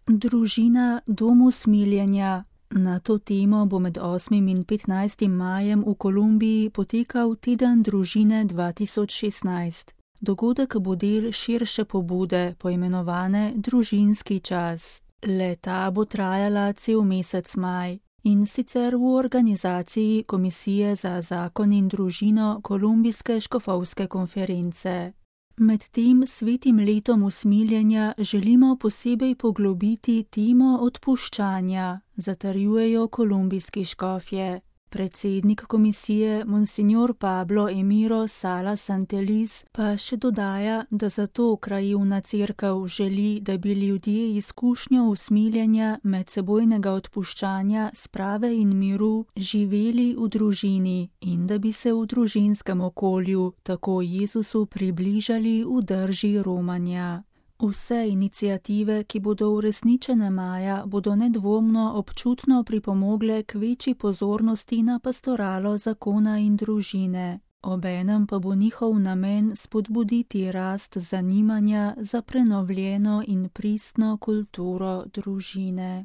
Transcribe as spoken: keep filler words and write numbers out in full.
Družina dom usmiljenja. Na to temo bo med osmim in petnajstim majem v Kolumbiji potekal Teden družine dva tisoč šestnajst. Dogodek bo del širše pobude, poimenovane Družinski čas. Le-ta bo trajala cel mesec maj, in sicer v organizaciji Komisije za zakon in družino Kolumbijske škofovske konference. Med tem svetim letom usmiljenja želimo posebej poglobiti temo odpuščanja, zatrjujejo kolumbijski škofje. Predsednik komisije Monsignor Pablo Emiro Sala Santeliz pa še dodaja, da zato krajevna cerkev želi, da bi ljudje izkušnjo usmiljenja, medsebojnega odpuščanja, sprave in miru živeli v družini in da bi se v družinskem okolju tako Jezusu približali v drži romanja. Vse iniciative, ki bodo uresničene maja, bodo nedvomno občutno pripomogle k večji pozornosti na pastoralo zakona in družine. Obenem pa bo njihov namen spodbuditi rast zanimanja za prenovljeno in pristno kulturo družine.